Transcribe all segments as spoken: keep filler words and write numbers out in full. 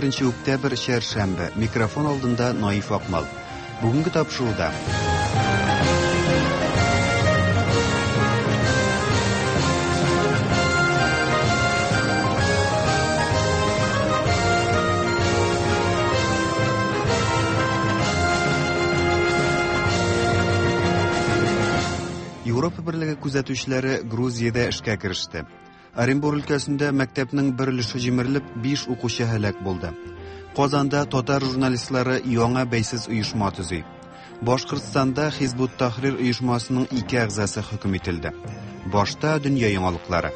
беренче октябрь, чәршәмбе. Микрофон алдында Наиф Акмал. Бүгенге тапшыруда Европа Берлеге күзәтүчеләре Грузиядә эшкә кереште. Оренбур өлкәсендә мәктәпнең бер өлеше җимерелеп, биш укучы һәлак булды. Казанда татар журналистлары яңа бәйсез оешма төзи. Башкортстанда Хизбут Тахрир оешмасының ике әгъзасы хөкем ителде. Башта дөнья яңалыклары.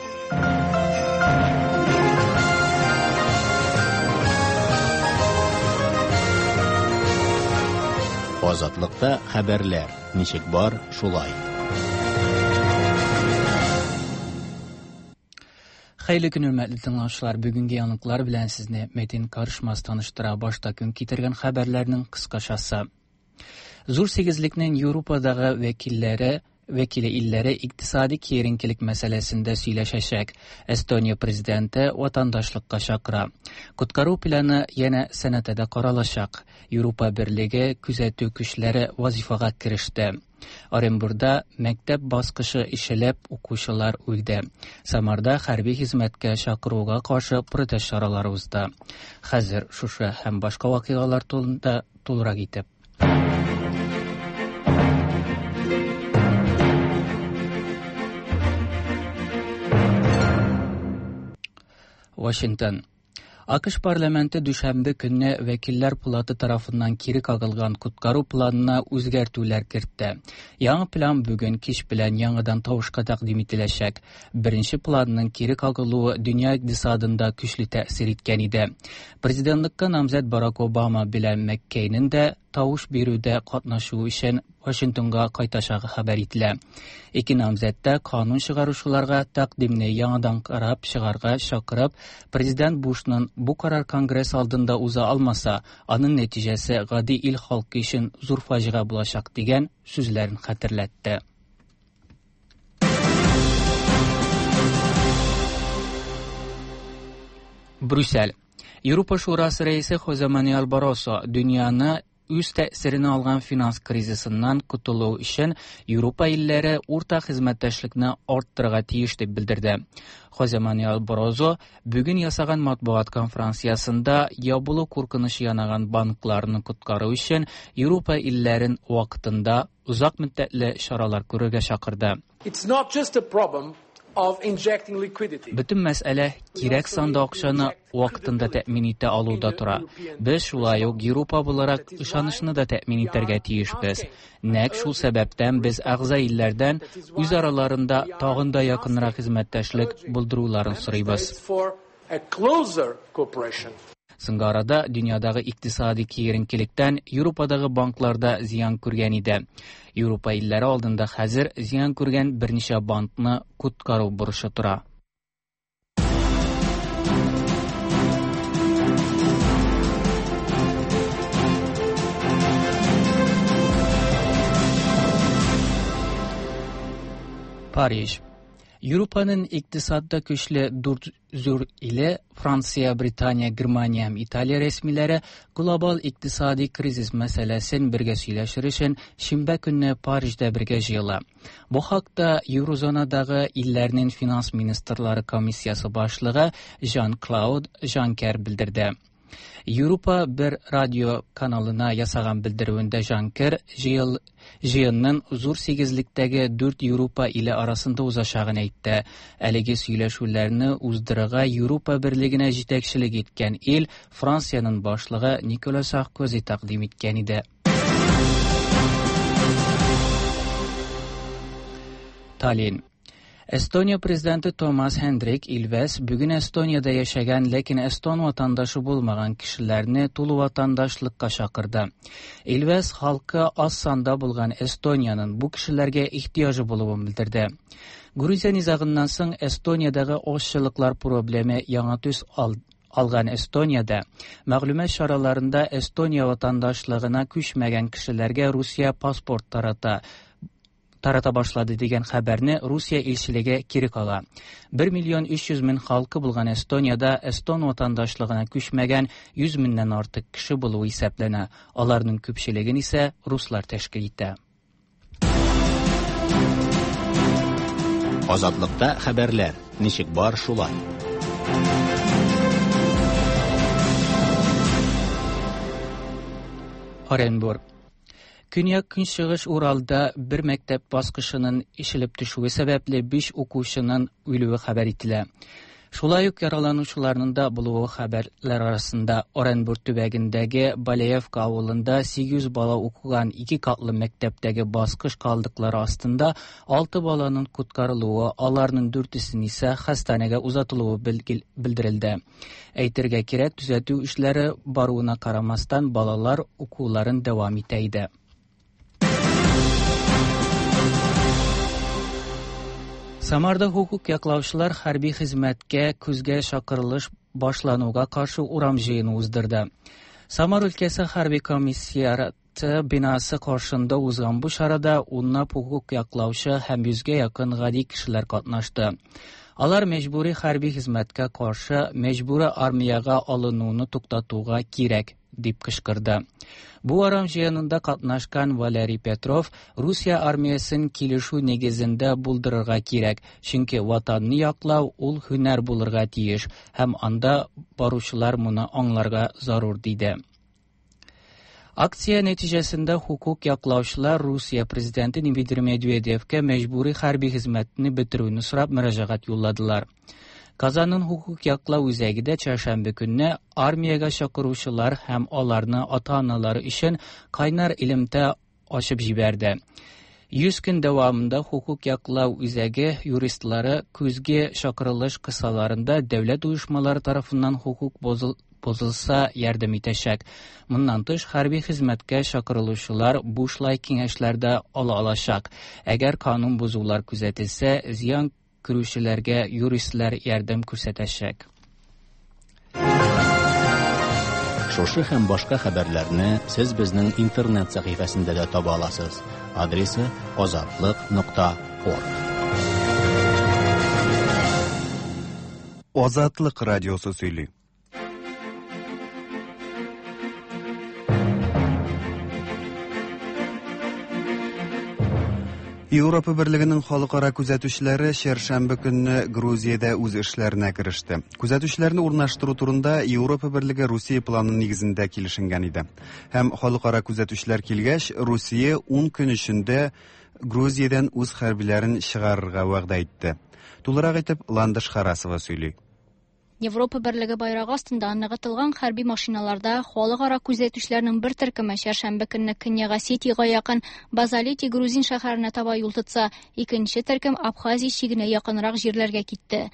Азатлыкта хәбәрләр ничек бар, шулай. Хәерле көн, хөрмәтле тыңлаучылар. Бүгенге яңалыклар белән сезне Метин Карышмас таныштыра. Башта көн китергән хәбәрләрнең кыскачасы. Зур сигезлекнең Европадагы вәкилләре вәкиле илләре икътисади киеренкелек мәсьәләсендә сөйләшәчәк. Эстония президенты ватандашлыкка чакыра. Коткару планы янә сәнәтәдә каралачак. Европа Берлеге күзәтү көчләре вазифага кереште. Оренбурда мәктәп баскычы ишелеп, укучылар үлде. Самарда хәрби хезмәткә чакыруга каршы протест чаралары узды. Хәзер шушы һәм башка вакыйгалар турында тулырак итеп. Вашингтон. АКШ парламенты дүшәмбе көнне Вәкилләр палаты тарафыннан кире кагылган коткару планына үзгәртүләр кертте. Яңа план бүген кич белән яңадан тавышка тәкъдим ителәчәк. Беренче планның кире кагылуы дөнья икътисадында көчле тәэсир иткән иде. Президентлыкка намзәт Барак Обама белән Маккейнең дә тавыш бирүдә катнашу өчен Вашингтонга кайтачагы хәбәр ителә. Ике намзәт тә канун чыгаручыларга тәкъдимне яңадан карап чыгарга чакырып, президент Бушның бу карар Конгресс алдында уза алмаса, аның нәтиҗәсе гади ил халкы өчен зур фаҗига булачак дигән сүзләрен хәтерләтте. Брюссель. Европа Шурасы рәисе Хозе Мануэль Барросо дөньяны үз тәэсиренә алган финанс кризисыннан котылу өчен Европа илләре уртак хезмәттәшлекне арттырырга тиеш дип белдерде. Хозе Мануэль Баррозо бүген ясаган матбугат конференциясендә ябылу куркынычы янаган банкларны коткару өчен Европа илләрен вакытында озак мөддәтле чаралар күрергә чакырды. It's not just a problem of injecting liquidity. Бөтен мәсьәлә кирәк санда акчаны вакытында тәэмин итә алуда тора. Без шулай ук Европа буларак ышанычны да тәэмин итәргә тиешбез. Нәкъ шул сәбәптән без әгъза илләрдән үз араларында тагын да якынрак хезмәттәшлек булдыруларын сорыйбыз. For a closer cooperation. Соңгы арада дөньядагы икътисади киеренкелектән Европадагы банкларда зыян күргән иде. Европа илләре алдында хәзер зыян күргән берничә банкны коткару бурычы тора. Париж. Европаның икътисадда көчле дүрт зур иле Франция, Британия, Германия һәм Италия рәсмиләре глобал икътисади кризис мәсьәләсен бергә сөйләшер өчен шимбә көнне Парижда бергә җыела. Бу хакта Еврозонадагы илләрнең финанс министрлары комиссиясе башлыгы Жан-Клауд Жанкер белдерде. Европа бер радио каналына ясаган белдерүендә Жанкер җыел, җыенның зур сигезлектәге дүрт Европа иле арасында узачагын әйтте. Әлеге сөйләшүләрне уздырырга Европа Берлегенә җитәкчелек иткән ил Франциянең башлыгы Никола Саркози тәкъдим иткән иде. Таллин. Эстония президенты Томас Хендрик Илвес бүген Эстониядә яшәгән, ләкин эстон ватандашы булмаган кешеләрне тулы ватандашлыкка чакырды. Илвес халкы аз санда булган Эстониянең бу кешеләргә ихтыяҗы булуын белдерде. Грузия низагыннан соң Эстониядәге азчылыклар проблемы яңа төс ал-, алган Эстониядә мәгълүмат чараларында Эстония ватандашлыгына күчмәгән кешеләргә Русия паспорт тарата тарата башлады дигән хәбәрне Русия илчелеге кире кага. бер миллион өч йөз мең халкы булган Эстониядә эстон ватандашлыгына күчмәгән йөз меңнән артык кеше булуы исәпләнә. Аларның күпчелеген исә руслар тәшкил итә. Азатлыкта хәбәрләр ничек бар шулай. Оренбург. Көньяк-көнчыгыш Уралда бер мәктәп баскычының ишелеп төшүе сәбәпле биш укучының үлүе хәбәр ителә. Шулай ук яраланучыларның да булуы хәбәрләр арасында. Оренбург төбәгендәге Балеевка авылында сигез йөз бала укыган ике катлы мәктәптәге баскыч калдыклары астында алты баланың коткарылуы, аларның дүртесен исә хастаханәгә узатылуы белдерелде. Әйтергә кирәк, төзәтү эшләре баруына карамастан балалар укуларын дәвам итә иде. Самарда хукук яклаучылар хәрби хезмәткә көзгә чакырылыш башлануга каршы урам җыены уздырды. Самар өлкәсе хәрби комиссариаты бинасы каршында узган бу чарада унлап хукук яклаучы һәм йөзгә якын гади кешеләр катнашты. Алар мәҗбүри хәрби хезмәткә каршы мәҗбүри армиягә алынуны туктатуга кирәк дип кычкырды. Бу урам җыенында катнашкан Валерий Петров Русия армиясен килешү нигезендә булдырырга кирәк, чөнки ватанны яклау ул һөнәр булырга тиеш һәм анда баручылар моны аңларга зарур диде. Акция нәтиҗәсендә хукук яклаучылар Русия президенты Дмитрий Медведевкә мәҗбүри хәрби хезмәтне бетерүне сорап мөрәҗәгать юлладылар. Казанның хукук яклау үзәге дә чәршәмбе көнне армиягә чакыручылар һәм аларны ата-аналары өчен кайнар элемтә ачып җибәрде. Йөз көн дәвамында хукук яклау үзәге юристлары көзге чакырылыш кысаларында дәүләт оешмалары тарафыннан хукук бозылса ярдәм итәчәк. Моннан тыш хәрби хезмәткә чакырылучылар бушлай киңәшләр дә ала алачак. Әгәр канун бозулар күзәтелсә, зыян күрүчеләргә юристлар ярдәм күрсәтәчәк. Шушы һәм башка хәбәрләрне сез безнең интернет сәхифәсендә дә таба аласыз. Адресы азатлык нокта орг. Азатлык радиосы сөйли. Европа Берлегенең халыкара күзәтүчеләре чәршәмбе көнне Грузиядә үз эшләренә кереште. Күзәтүчеләрне урнаштыру турында Европа Берлеге Русия планы нигезендә килешенгән иде. Һәм халыкара күзәтүчеләр килгәч, Русия ун көн эчендә Грузиядән үз хәрбиләрен чыгарырга вәгъдә итте. Тулырак итеп Ландыш Харасова сөйли. Европа Берлеге байрагы астында ныгытылган хәрби машиналарда халыкара күзәтүчеләрнең бер төркеме чәршәмбе көнне Көньяк Осетиягә якын Базалети грузин шәһәренә таба юл тотса, икенче төркем Абхазия чигенә якынрак җирләргә китте.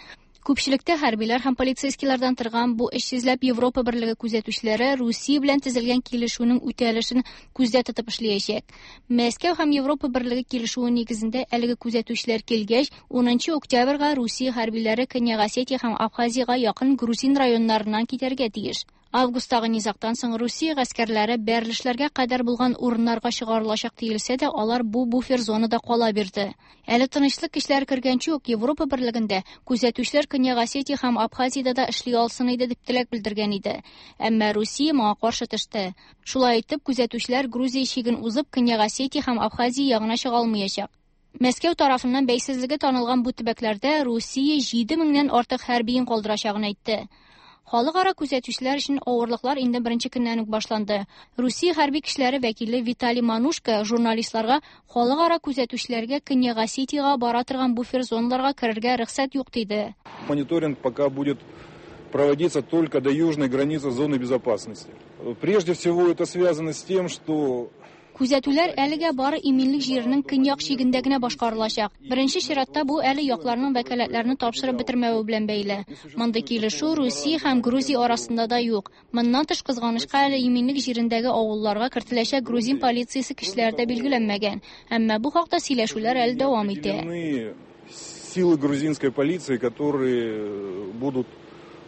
Күпчелектә хәрбиләр һәм полицейскийлардан торган бу өч йөзләп Европа Берлеге күзәтүчеләре Русия белән төзелгән килешүнең үтәлешен күздә тотып эшләячәк. Мәскәү һәм Европа Берлеге килешүе нигезендә әлеге күзәтүчеләр килгәч, унынчы октябрьгә Русия хәрбиләре Көньяк Осетия һәм Абхазиягә якын грузин районнарыннан китәргә тиеш. Августтагы низактан соң Русия гаскәрләре бәрелешләргә кадәр булган урыннарга чыгарылачак диелсә дә, алар бу буфер зонада кала бирде. Әле тынычлык көчләре кергәнче үк Европа Берлегендә күзәтүчеләр Көньяк Осетия һәм Абхазиядә дә эшли алсын иде дип теләк белдергән иде. Әмма Русия моңа каршы төште. Шулай итеп, күзәтүчеләр Грузия чиген узып Көньяк Осетия һәм Абхазия ягына чыга алмаячак. Мәскәү тарафыннан бәйсезлеге танылган бу төбәкләрдә Русия җиде меңнән артык хәрбиен калдырачагын әйтте. Халыкара күзәтүчеләр өчен авырлыклар инде беренче көннән үк башланды. Русия хәрби көчләре вәкиле Виталий Манушка журналистларга халыкара күзәтүчеләргә Көньяк Осетиягә бара торган буфер зоналарга керергә рөхсәт юк диде. Мониторинг пока будет проводиться только до южной границы зоны безопасности. Прежде всего это связано с тем, что Күзәтүләр әлегә бары иминлек җиренең көньяк чигендә генә башкарылачак. Беренче чиратта бу әле якларның вәкаләтләрен тапшырып бетермәве белән бәйле. Мондый килешү Русия һәм Грузия арасында да юк. Моннан тыш, кызганычка, әле иминлек җирендәге авылларга кертеләчәк грузин полициясе көчләре дә билгеләнмәгән. Әмма бу хакта сөйләшүләр әле дәвам итә. Силы грузинской полиции, которые будут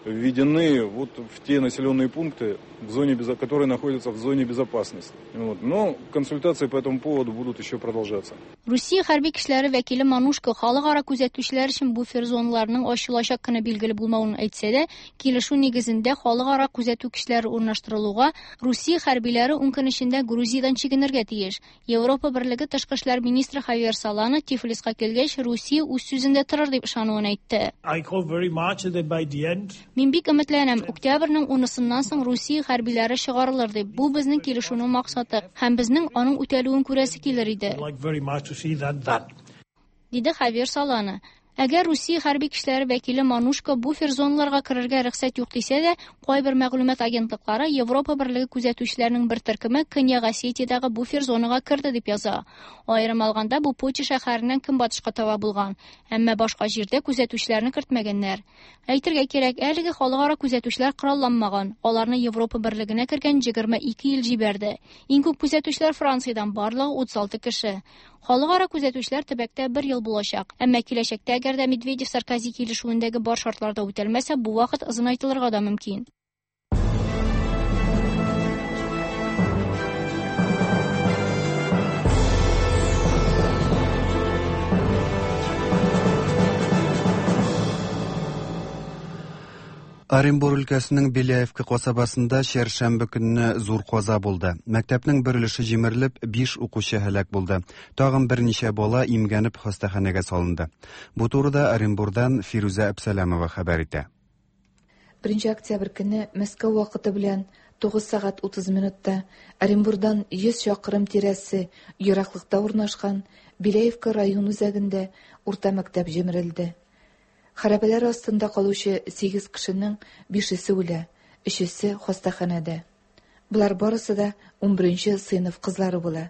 введены вот в те населенные пункты, в зоне, которые находятся в зоне безопасности. Вот. Но консультации по этому поводу будут еще продолжаться. Русия хәрби көчләре вәкиле Манушко халыкара күзәтүчеләр өчен буфер зоналарының ачылачак көне билгеле булмавын әйтсә дә, килешү нигезендә халыкара күзәтү көчләре урнаштырылуга Русия хәрбиләре ун көн эчендә Грузиядән чигенергә тиеш. Европа Берлеге тышкы эшләр министры Хавьер Солана Тифлиска килгәч, Русия үз сүзендә торыр дип ышануын әйтте. I hope very much that by the end. Мин бик өметләнәм, октябрьнең унысыннан соң Русия хәрбиләре чыгарылыр дип. Бу безнең килешүнең максаты һәм безнең аның үтәлүен күрәсе килер иде. Диде Хавьер Солана. Әгәр Русия хәрби көчләре вәкиле Манушко буфер зоналарга керергә рөхсәт юк дисә дә, кайбер мәгълүмат агентлыклары Европа Берлеге күзәтүчеләренең бер төркеме Көньяк Осетиядәге буфер зонага керде дип яза. Аерым алганда, бу Поти шәһәреннән көнбатышка таба булган, әмма башка җирдә күзәтүчеләрне кертмәгәннәр. Әйтергә кирәк, әлеге халыкара күзәтүчеләр коралланмаган. Аларны Европа Берлегенә кергән егерме ике ил җибәрде. Иң күп күзәтүчеләр Франциядән, барлыгы утыз алты кеше. Халыкара күзәтүчеләр төбәктә бер ел булачак. Әмма киләчәктә әгәр дә Медведев-Саркози килешүендәге бар шартларда үтәлмәсә, бу вакыт озынайтылырга да мөмкин. Оренбур өлкәсенең Беляевка касабасында чәршәмбе көнне зур каза булды. Мәктәпнең бер өлеше җимерелеп, биш укучы һәлак булды. Тагын берничә бала имгәнеп хастаханәгә салынды. Бу турыда Оренбурдан Фирүзә Әпсәләмова хәбәр итә. Беренче октябрь көнне Мәскәү вакыты белән тугыз сәгать утыз минутта Оренбурдан йөз чакрым тирәсе ераклыкта урнашкан Беляевка район үзәгендә урта мәктәп җимерелде. Хәрабәләр астында калучы сигез кешенең бишесе үлә, өчесе хастаханәдә. Булар барысы да унберенче сыйныф кызлары була.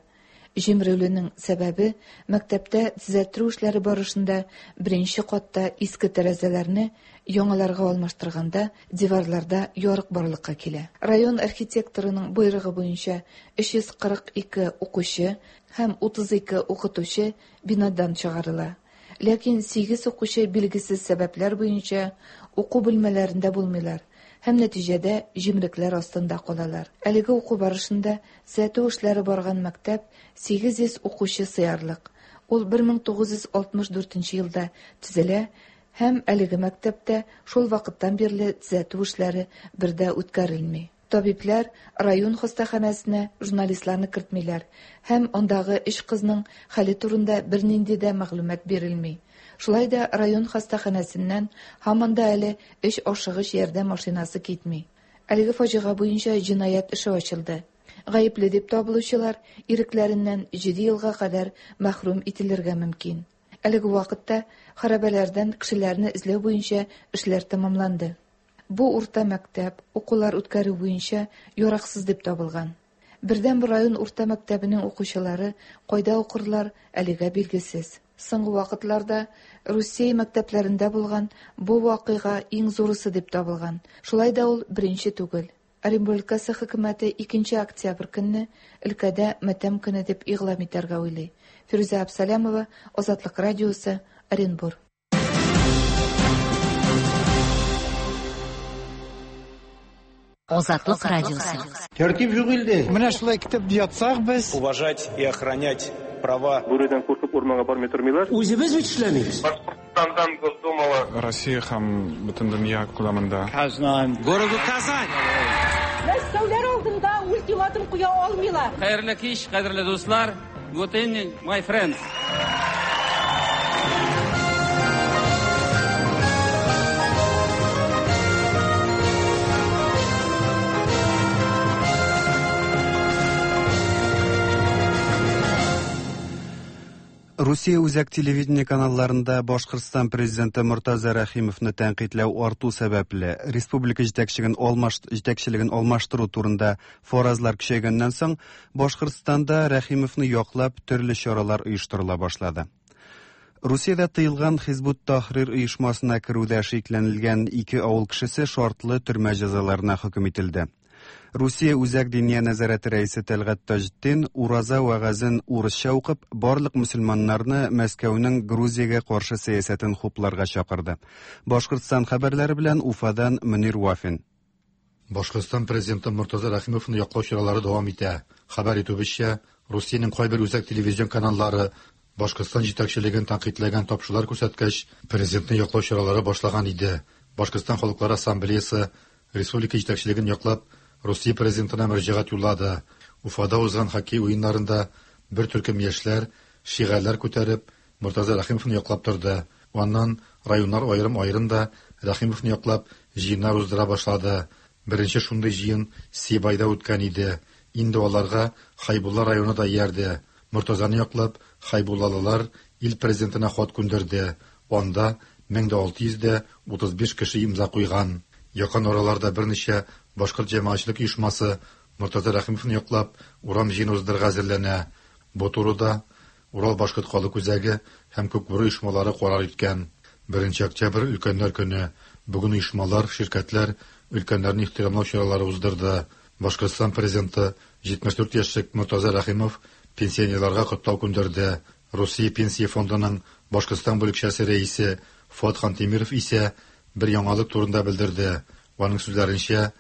Җимерелүнең сәбәбе мәктәптә төзәттерү эшләре барышында беренче катта иске тәрәзәләрне яңаларга алмаштырганда диварларда ярык барлыкка килә. Район архитекторының боерыгы буенча өч йөз кырык ике укучы һәм утыз ике укытучы бинадан чыгарыла. Ләкин сигез укучы билгесез сәбәпләр буенча уку бүлмәләрендә булмыйлар һәм нәтиҗәдә җимрекләр астында калалар. Әлеге уку барышында төзәтү эшләре барган мәктәп сигез йөз укучы сыярлык. Ул бер мең тугыз йөз алтмыш дүртенче елда төзелә һәм әлеге мәктәптә шул вакыттан бирле төзәтү эшләре бер дә үткәрелми. Табибләр район хастаханәсенә журналистларны кертмиләр һәм андагы өч кызның хәле турында бернинди дә мәгълүмат бирелми. Шулай да район хастаханәсеннән һаман да әле өч ашыгыч ярдәм машинасы китми. Әлеге фаҗига буенча җинаять эше ачылды. Гаепле дип табылучылар ирекләреннән җиде елга кадәр мәхрүм ителергә мөмкин. Әлеге вакытта хәрабәләрдән кешеләрне эзләү буенча эшләр тәмамланды. Бу урта мәктәп укулар үткәрү буенча яраксыз дип табылган. Бердән бер район урта мәктәбенең укучылары кайда укырлар әлегә билгесез. Соңгы вакытларда Русия мәктәпләрендә булган бу вакыйга иң зурысы дип табылган. Шулай да ул беренче түгел. Оренбур өлкәсе хөкүмәте икенче октябрь көнне өлкәдә матәм көне дип игълан итәргә уйлый. Фирүзә Әпсәләмова, Азатлык радиосы, Оренбур. Азатлык радиосы. Тәртип юк илдә. Менә шулай китеп ятсак без. Уважать и охранять права. Бүредән куркып урманга бармый тормыйлар. Үзебез бит эшләмибез. Башкортстандан Госдумала. Россия һәм бөтен дөнья күләмендә. Казан. Городу Казань. Мәскәүләр алдында ультиматум куя алмыйлар. Хәерле кич, кадерле дуслар. Good evening, my friends. Русия үзәк телевидение каналларында Башкортстан президенты Мортаза Рәхимовны тәнкыйтьләү арту сәбәпле республика җитәкчелеген алмаш җитәкчелеген алмаштыру турында фаразлар көчәйгәннән соң Башкортстанда Рәхимовны яклап төрле чаралар оештырыла башлады. Русиядә тыелган Хизбут Тахрир оешмасына керүдә шикләнелгән ике авыл кешесе шартлы төрмә җәзаларына хөкем ителде. Русия Үзәк Диния нәзарәте рәисе Тәлгать Таҗетдин ураза вәгазен урысча укып, барлык мөселманнарны Мәскәүнең Грузиягә каршы сәясәтен хупларга чакырды. Башкортстан хәбәрләре белән Уфадан Мөнир Вафин. Башкортстан президенты Мортаза Рәхимовны яклау чаралары дәвам итә. Хәбәр итүебезчә, Русиянең кайбер үзәк телевизион каналлары Башкортстан җитәкчелеген тәнкыйтьләгән тапшырулар күрсәткәч, президентны яклау чаралары башлаган иде. Башкортстан Халыклар Ассамблеясы республика җитәкчелеген яклап, Русия президентына мөрәҗәгать юллады. Уфада узган хоккей уеннарында бер төркем яшьләр шигарьләр күтәреп, Мортаза Рәхимовны яклап торды. Аннан районнар аерым-аерым да Рәхимовны яклап җыеннар уздыра башлады. Беренче шундый җыен Сибайда үткән иде. Инде аларга Хайбулла районы да иярде. Мортазаны яклап, хайбуллалылар ил президентына хат күндерде. Анда мең дә алты йөз дә утыз биш кеше имза куйган. Якын араларда берничә башкорт җәмәгатьчелек оешмасы Мортаза Рәхимовны яклап урам җыены уздырырга әзерләнә. Бу турыда Урал башкорт халык үзәге һәм Күкбүре оешмалары карар иткән. Беренче октябрь өлкәннәр көне. Бүген оешмалар, ширкәтләр өлкәннәрне ихтирамлау чаралары уздырды. Башкортстан президенты җитмеш дүрт яшьлек Мортаза Рәхимов пенсионерларга котлау күндерде. Русия пенсия фондының Башкортстан бүлекчәсе рәисе Фуат Хантимиров исә бер яңалык турында белдерде. Аның сүзләренчә,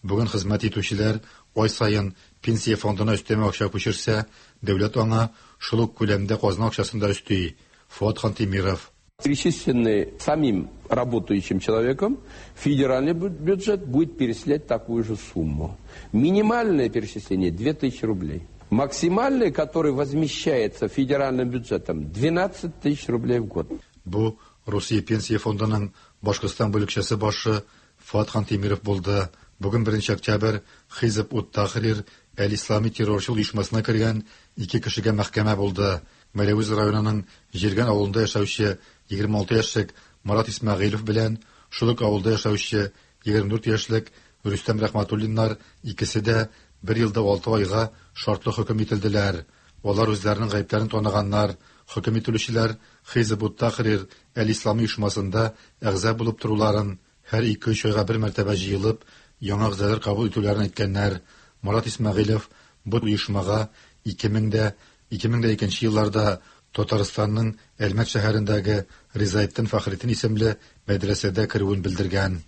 бүген хезмәт итүчеләр ай саен пенсия фондына өстәмә акча күчерсә, дәүләт аңа шул ук күләмдә казна акчасын да өсти. Фуат Хантимиров. Перечисленный самим работающим человеком, федеральный бюджет будет перечислять такую же сумму. Минимальное перечисление две тысячи рублей. Максимальное, которое возмещается федеральным бюджетом, двенадцать тысяч рублей в год. Бу Русия пенсия фондының Башкортстан бүлекчәсе башы Фуат Хантимиров булды. Бүген беренче октябрь Хизб ут-Тахрир әл-Ислами террорчыл оешмасына кергән ике кешегә мәхкәмә булды. Мәләвез районының Җиргән авылында яшәүче егерме алты яшьлек Марат Исмәгыйлев белән шул ук авылда яшәүче егерме дүрт яшьлек Рөстәм Рәхмәтуллиннар икесе дә бер елда алты айга шартлы хөкем ителделәр. Алар үзләренең гаепләрен таныганнар. Хөкем ителүчеләр Хизб ут-Тахрир әл-Ислами оешмасында әгъза булып торуларын, һәр ике-өч айга бер мәртәбә җыелып, яңа әгъзалар кабул итүләрен әйткәннәр. Марат Исмәгыйлев бу оешмага ике мең дә ике мең дә икенче елларда Татарстанның Әлмәт шәһәрендәге Ризаэтдин Фәхретдин исемле мәдрәсәдә керүен белдергән.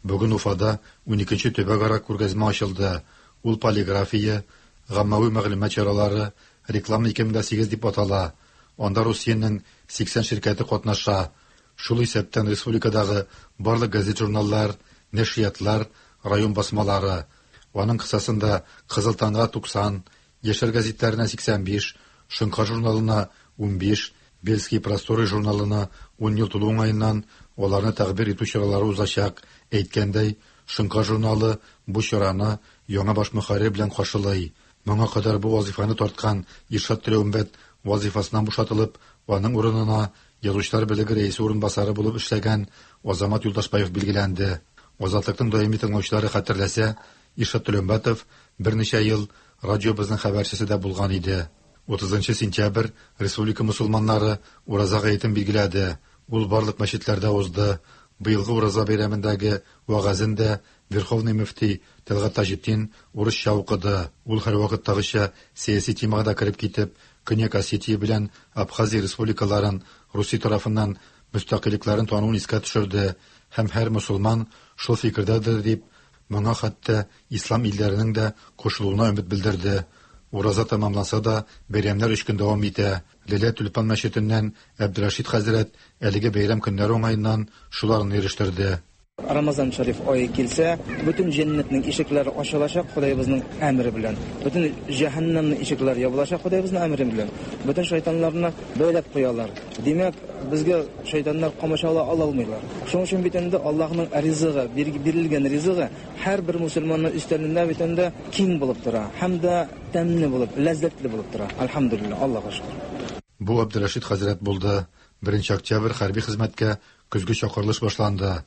Бүген Уфада уникенче төбәкара күргәзмә ачылды. Ул полиграфия, гаммави мәгълүмат чаралары, реклама ике мең дә сигез дип атала. Анда Русиянең сиксән ширкәте катнаша. Шул исәптән республикадагы барлык газет-журналлар, нәшриятлар, район басмалары. Аның кысасында Кызыл таңга туксан, Яшьләр гәзитләренә сиксән биш, Шоңкар журналына унбиш, Бельские просторы журналына ун ел тулу уңаеннан аларны тәкъбир итү чаралары узачак. Әйткәндәй, Шоңкар журналы бу чараны яңа баш мөхәррир белән каршылый. Моңа кадәр бу вазифаны тарткан Иршат Төләүмбәт вазифасыннан бушатылып, аның урынына Язучылар берлеге рәисе урынбасары булып эшләгән Азамат Юлдашбаев билгеләнде. Азатлыкның даими тыңлаучылары хәтерләсә, Иршат Төләүмбәтов берничә ел радиобызның хәбәрчесе дә булган иде. Утызынчы сентябрь республика мусулманнары ураза гаетен билгеләде. Ул барлык мәчетләрдә узды. Быелгы ураза бәйрәмендәге вәгазен дә Верховный мөфти Тәлгать Таҗетдин урысча укыды. Ул һәрвакыттагыча сәяси темага да кереп китеп, Көньяк Осетия белән Абхазия республикаларын Русия тарафыннан мөстәкыйльлекләрен тануын искә төшерде һәм һәр мусулман шул фикердәдер дип, моңа хәтта ислам илләренең дә кушылуына өмет белдерде. Ураза тәмамланса да, бәйрәмнәр өч көн дәвам итә. Ләлә Тюльпан мәчетеннән Әбдерәшит хәзрәт әлеге бәйрәм көннәре уңаеннан шуларны ирештерде. Рамазан шәриф ае килсә, бөтен җәннәтнең ишекләре ачылачак Ходаебызның әмере белән. Бөтен җәһәннәмнең ишекләре ябылачак Ходаебызның әмере белән. Бөтен шайтаннарны бәйләп куялар. Димәк, безгә шайтаннар камачала ала алмыйлар. Шуның өчен бит инде Аллаһның ризыгы, бирелгән ризыгы һәрбер мусульманның өстәлендә бит инде киң булып тора, һәм дә тәмле булып, ләззәтле булып тора. Альхамдулилла, Аллаһка шөкер. Бу Әбдерәшит хәзрәт булды. Беренче октябрь хәрби хезмәткә көзге чакырылыш башланды.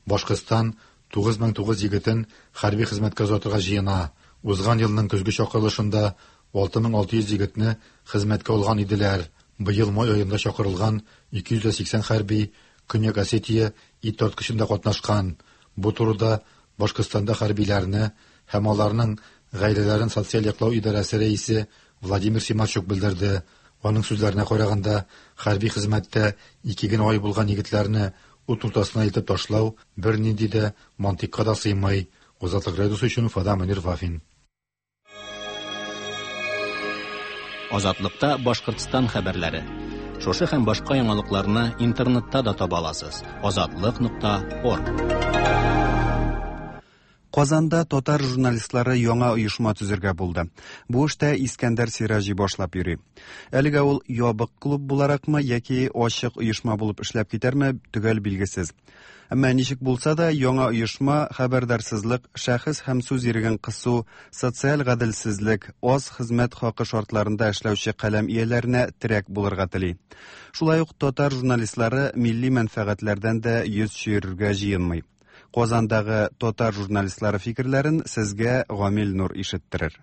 Башкортстан тугыз мең тугыз егетен хәрби хезмәткә озатырга җыена. Узган елның көзге чакырылышында алты мең алты йөз егетне хезмәткә алган иделәр. Быел май аенда чакырылган ике йөз сиксән хәрби Көньяк Осетия ит тарткычында катнашкан. Бу турыда Башкортстанда хәрбиләрне һәм аларның гаиләләрен социаль яклау идарәсе рәисе Владимир Симачук белдерде. Аның сүзләренә караганда, хәрби хезмәттә ике генә ай булган егетләрне ут уртасына илтеп ташлау бернинди дә мантыйкка да сыймый. Азатлык радиосы өчен Уфада Мөнир Вафин. Азатлыкта Башкортстан хәбәрләре. Шушы һәм башка яңалыкларны интернетта да таба аласыз. Азатлык нокта орг. Казанда татар журналистлары яңа оешма төзергә булды. Бу эштә Искәндәр Сираҗи башлап йөри. Әлегә ул ябык клуб буларакмы яки ачык оешма булып эшләп китәрме, төгәл билгесез. Әмма ничек булса да яңа оешма хәбәрдарсызлык, шәхес һәм сүз иреген кысу, социаль гаделсезлек, аз хезмәт хакы шартларында эшләүче каләм ияләренә терәк булырга тели. Шулай ук татар журналистлары милли мәнфәгатьләрдән дә йөз чөерергә җыенмый. Казандагы татар журналистлары фикерләрен сезгә Гамил Нур ишеттерер.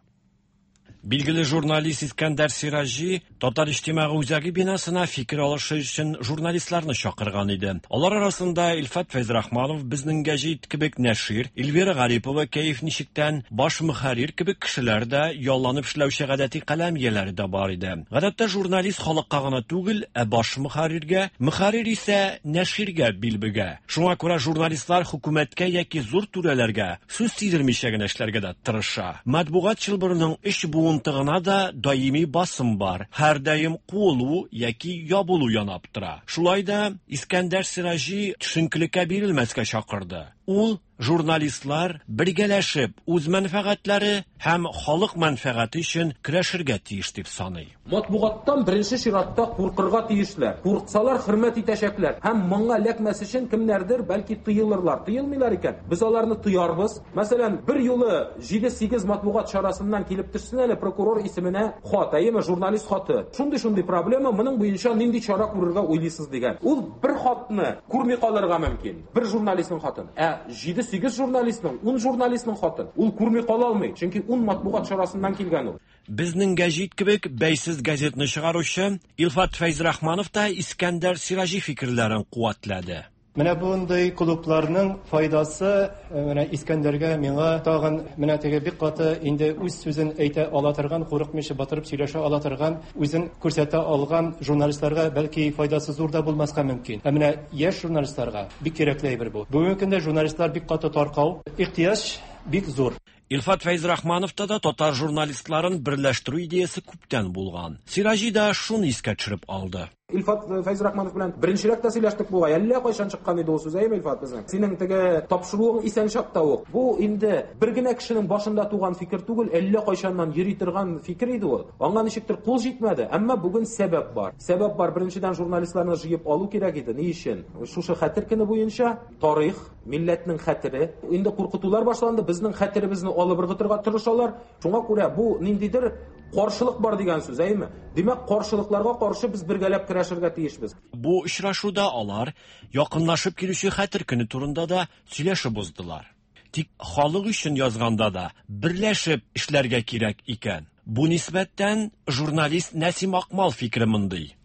Билгеле журналист Искәндәр Сираҗи Татар иҗтимагый үзәге бинасына фикер алышы өчен журналистларны чакырган иде. Алар арасында Илфат Фәйзрахманов, Безнең гәҗит кебек нәшир, Эльвира Гарипова, Кәеф ничектән, баш мөхәррир кебек кешеләр дә, ялланып эшләүче гадәти каләм ияләре дә бар иде. Гадәттә журналист халыкка гына түгел, ә баш мөхәрриргә, мөхәррир исә нәширгә бил бөгә. Шуңа күрә журналистлар хөкүмәткә яки зур түрәләргә сүз тидермичә генә эшләргә дә тырыша. Матбугат чылбырының өч буын тыгына да даими басым бар. Һәр даим куылу яки ябылу янап тора. Шулай да Искәндәр Сираҗи төшенкелеккә бирелмәскә чакырды. Ул журналистлар бергәләшеп үз мәнфәгатьләре һәм халык мәнфәгате өчен көрәшергә тиеш дип саный. Матбугаттан беренче чиратта куркырга тиешләр. Курксалар хөрмәт итәчәкләр. Һәм моңа эләкмәс өчен кемнәрдер бәлки тыелырлар. Тыелмыйлар икән, без аларны тыярбыз. Мәсәлән, бер юлы җиде-сигез матбугат чарасыннан килеп төшсен әле прокурор исеменә хат, әйеме, журналист хаты. Шундый-шундый проблема, моның буенча нинди чара күрергә уйлыйсыз дигән. Ул бер хатны күрми калырга мөмкин. Бер журналистның хатын. Ә җиде-сигез журналистның, ун журналистның хатын ул күрми кала алмый, чөнки ун матбугат чарасыннан килгән ул. Безнең гәҗит кебек бәйсез газетны чыгаручы Илфат Фәйзрахманов та Искәндәр Сираҗи фикерләрен куәтләде. Менә бундый клубларның файдасы менә Искәндәргә, миңа тагын менә теге бик каты инде үз сүзен әйтә ала торган, курыкмыйча батырып сөйләшә ала торган, үзен күрсәтә алган журналистларга бәлки файдасы зур да булмаска мөмкин. Ә менә яшь журналистларга бик кирәкле әйбер бу. Бүгенге көндә журналистлар бик каты таркау, ихтыяҗ бик зур. Илфат Фәйзрахмановта да татар журналистларын берләштерү идеясы күптән булган. Сираҗи да шуны искә төшереп алды. Илфат Фәйзрахманов белән беренчерәк тә сөйләштек бугай. Әллә кайчан чыккан иде ул сүз, әйме, Илфат, безнең? Синең теге тапшыруың исән чакта ук. Бу инде бер генә кешенең башында туган фикер түгел, әллә кайчаннан йөри торган фикер иде ул. Аңа ничектер кул җитмәде, әмма бүген сәбәп бар. Сәбәп бар, беренчедән журналистларны җыеп алу кирәк иде. Ни өчен? Шушы хәтер көне буенча тарих, милләтнең хәтере. Инде куркытулар башланды, безнең хәтеребезне алып ыргытырга тырышалар. Шуңа күрә бу ниндидер каршылык бар дигән сүз, әйме? Димәк, каршылыкларга каршы без бергәләп көрәшергә тиешбез. Бу очрашуда алар якынлашып килүче хәтер көне турында да сөйләшеп уздылар. Тик халык өчен язганда да берләшеп эшләргә кирәк икән. Бу нисбәттән журналист Нәсим Акмал фикере мондый.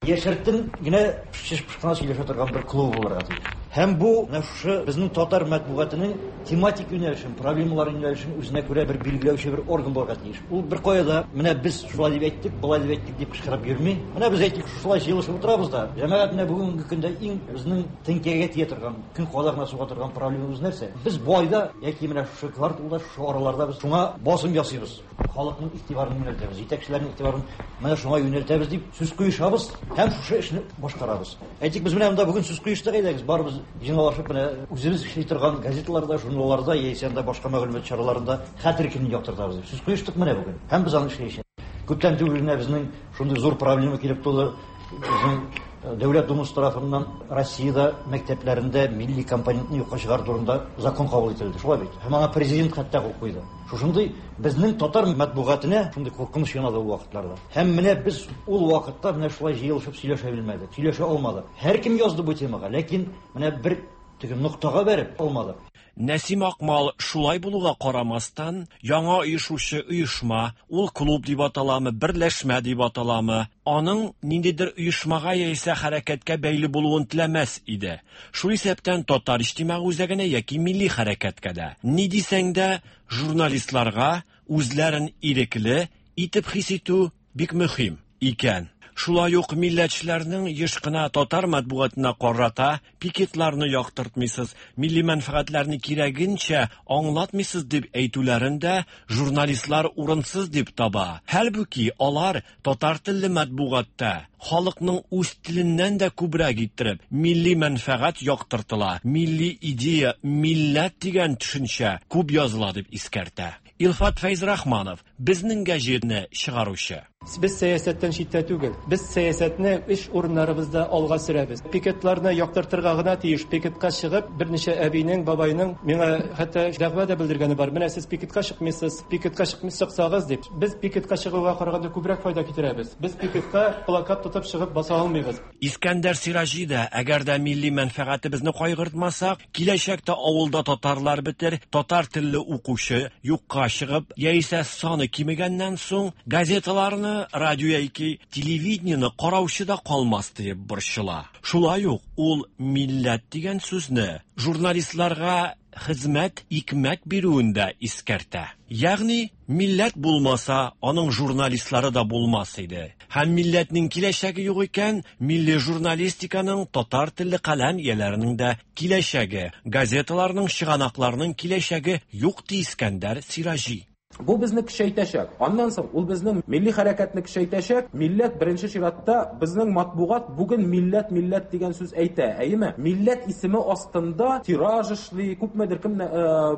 Яшертен генә шеш-пышкына сөйләшә торган бер клуб булырга тиеш. Һәм бу менә шушы безнең татар матбугатының тематик юнәлешен, проблемалар юнәлешен үзенә күрә бер билгеләүче бер орган булырга тиеш. Ул бер кая да менә без шулай дип әйттек, болай дип әйттек дип кычкырып йөрми. Менә без әйтик, шулай җыелышып утырабыз да. Җәмәгать менә бүгенге көндә иң безнең теңкәгә тия торган, көн кадагына суга торган проблемабыз нәрсә? Без бу айда яки менә шушы кварталда, шушы араларда без шуңа басым ясыйбыз. Халыкның игътибарын юнәлтәбез, җитәкчеләрнең игътибарын менә шуңа юнәлтәбез дип сүз куешабыз һәм шушы эшне башкарабыз. Әйтик, без менә монда бүген сүз куештык, әйдәгез, барыбыз җыйналышып менә үзебез эшли торган газеталарда, журналларда яисә анда башка мәгълүмат чараларында хәтер көнен яктыртабыз дип сүз куештык менә бүген. Һәм без аны эшләячәкбез. Күптән түгел генә безнең шундый зур проблема килеп туды. Безнең Дәүләт Думасы тарафыннан Россиядә мәктәпләрендә милли компонентны юкка чыгару турында закон кабул ителде. Шулай бит. Һәм аңа президент хәтта кул куйды. Шушындый безнең татар матбугатына шундый куркыныч янады ул вакытларда. Һәм менә без ул вакытта менә шулай җыелышып сөйләшә белмәдек, сөйләшә алмадык. Һәркем язды бу темага, ләкин менә бер теге ноктага бәреп алмадык. Нәсим Акмал шулай булуга карамастан, яңа оешучы оешма, ул клуб дип аталамы, берләшмә дип аталамы, аның ниндидер оешмага яисә хәрәкәткә бәйле булуын теләмәс иде. Шул исәптән татар иҗтимагый үзәгенә яки милли хәрәкәткә дә. Ни дисәң дә, журналистларга үзләрен ирекле итеп хис итү бик мөһим икән. Шулай ук милләтчеләрнең еш кына татар матбугатына карата пикетларны яктыртмыйсыз, милли мәнфәгатьләрне кирәгенчә аңлатмыйсыз дип әйтүләрен дә журналистлар урынсыз дип таба. Хәлбуки алар татар телле матбугатта халыкның үз теленнән дә күбрәк иттереп милли мәнфәгать яктыртыла, милли идея, милләт дигән төшенчә күп языла дип искәртә. Илфат Фәйзрахманов, безнең гәҗитне чыгаручы. Без сәясәттән читтә түгел. Без сәясәтне эш урыннарыбызда алга сөрәбез. Пикетларны яктыртырга гына тиеш. Пикетка чыгып, берничә әбинең, бабайның миңа хәтта дәгъва да белдергәне бар. Менә сез пикетка чыкмыйсыз, пикетка чыкмый чыксагыз дип. Без пикетка чыгуга караганда күбрәк файда китерәбез. Без пикетка плакат тотып чыгып баса алмыйбыз. Искәндәр Сираҗи да, әгәр дә милли мәнфәгатебезне кайгыртмасак, киләчәктә авылда татарлар бетер, татар телле укучы юкка чыгып, яисә саны кимегәннән соң газеталарны, радио яки телевидениене караучы да калмас дип борчыла. Шулай ук ул милләт дигән сүзне журналистларга хезмәт, икмәк бирүен дә искәртә. Ягъни милләт булмаса, аның журналистлары да булмас иде. Һәм милләтнең киләчәге юк икән, милли журналистиканың, татар телле каләм ияләренең дә киләчәге, газеталарның, чыганакларның киләчәге юк ди Искәндәр Сираҗи. Бу безне көчәйтәчәк. Аннан соң ул безнең милли хәрәкәтне көчәйтәчәк. Милләт беренче чиратта безнең матбугат бүген милләт милләт дигән сүз әйтә, әйеме? Милләт исеме астында тираж эшли, күпмедер кемне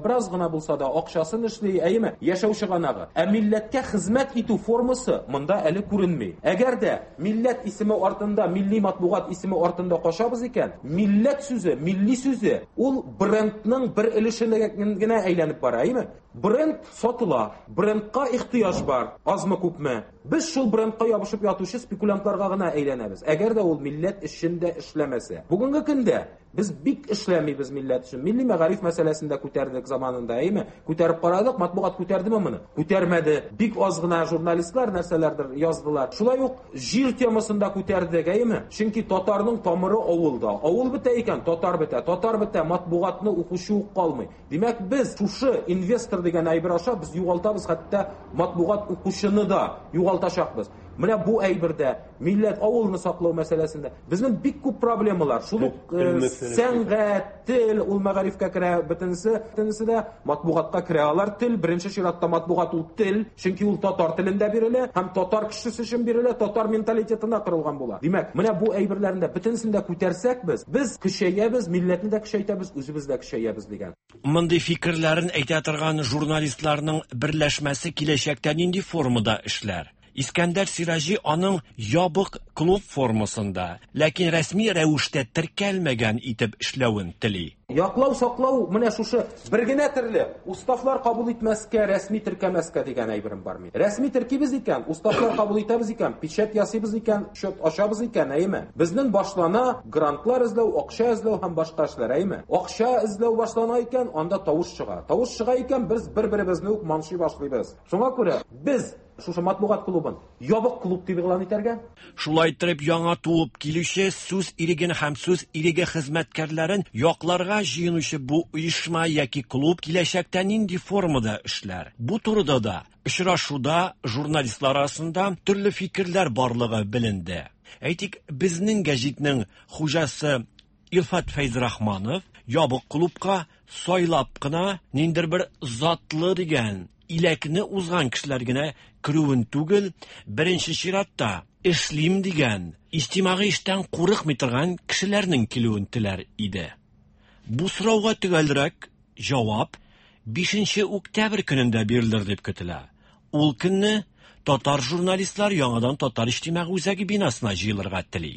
бераз гына булса да акчасын эшли, әйеме? Яшәү чыганагы. Ә милләткә хезмәт итү формасы монда әле күренми. Әгәр дә милләт исеме артында, милли матбугат исеме артында кашабыз икән, милләт сүзе, милли сүзе ул брендның бер өлешенә генә әйләнеп бара, әйеме? Бренд сатыла, брендка ихтыяҗ бар, азмы күпме. Без шул брендка ябышып ятучы спекулянтларга гына әйләнәбез. Әгәр дә ул милләт өчен дә эшләмәсә. Бүгенге көндә без бик эшләмибез милләт өчен. Милли мәгариф мәсьәләсен дә күтәрдек заманында, әйме? Күтәреп карадык, матбугат күтәрдеме моны? Күтәрмәде. Бик аз гына журналистлар нәрсәләрдер яздылар. Шулай ук җир темасын да күтәрдек, әйме? Чөнки татарның тамыры авылда. Авыл бетә икән, татар бетә. Татар бетә, матбугатны укучы ук калмый. Димәк, без шушы инвестор дигән әйбер аша без югалтабыз, хәтта матбугат укучыны да югалтачакбыз. Менә бу әйбердә милләт авылны саклау мәсьәләсендә безнең бик күп проблемалар. Шул ук сәнгать, тел, ул мәгарифкә керә, бөтенесе, бөтенесе дә матбугатка керә. Алар тел, беренче чиратта матбугат ул тел, чөнки ул татар телендә бирелә һәм татар кешесе өчен бирелә, татар менталитетына корылган була. Димәк, менә бу әйберләрне дә бөтенесен дә күтәрсәк без, без көчәябез, милләтне дә көчәйтәбез, үзебез дә көчәябез дигән. Мондый фикерләрен әйтә торган журналистларның берләшмәсе киләчәктә нинди формада эшләр? Искәндәр Сираҗи аның ябык клуб формасында, ләкин рәсми рәвештә теркәлмәгән итеп эшләвен тели. Яклау, саклау менә шушы бер генә төрле уставлар кабул итмәскә, рәсми теркәмәскә дигән әйберем бар мин. Рәсми теркибез икән, уставлар кабул итәбез икән, печать ясыйбыз икән, счет ачабыз икән, әйеме? Безнең башлана грантлар эзләү, акча эзләү һәм башка эшләр, әйеме? Акча эзләү башлана икән, анда тавыш чыга. Тавыш чыга икән, без бер-беребезне үк маншый башлыйбыз. Шуңа күрә без шушы матбугат клубын ябык клуб дип игълан итәргә. Шулай итеп яңа туып килүче сүз иреген һәм сүз иреге хезмәткәрләрен якларга җыенучы бу оешма яки клуб киләчәктә нинди формада эшләр? Бу турыда да очрашуда журналистлар арасында төрле фикерләр барлыгы беленде. Әйтик, безнең гәҗитнең хуҗасы Илфат Фәйзрахманов ябык клубка сайлап кына ниндидер бер затлы дигән иләкне узган кешеләр генә керүен түгел, беренче чиратта эшлим дигән, иҗтимагый эштән курыкмый торган кешеләрнең килүен теләр иде. Бу сорауга төгәлрәк җавап бишенче октябрь көнендә бирелер дип көтелә. Ул көнне татар журналистлар яңадан Татар иҗтимагый үзәге бинасына җыелырга тели.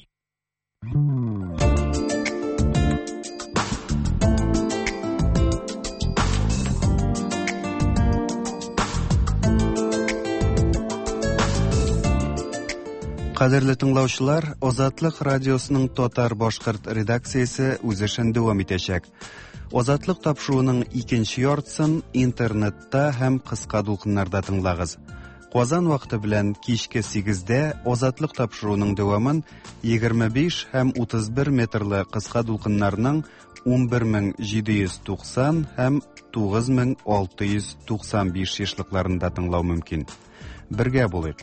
Кадерле тыңлаучылар, Азатлык радиосының татар-башкорт редакциясе үз эшен дәвам итәчәк. Азатлык тапшыруының икенче яртысын интернетта һәм кыска дулкыннарда тыңлагыз. Казан вакыты белән кичке сигездә Азатлык тапшыруының дәвамын егерме биш һәм утыз бер метрлы кыска дулкыннарның ун бер мең җиде йөз туксан һәм тугыз мең алты йөз туксан биш ешлыкларында тыңлау мөмкин. Бергә булыйк.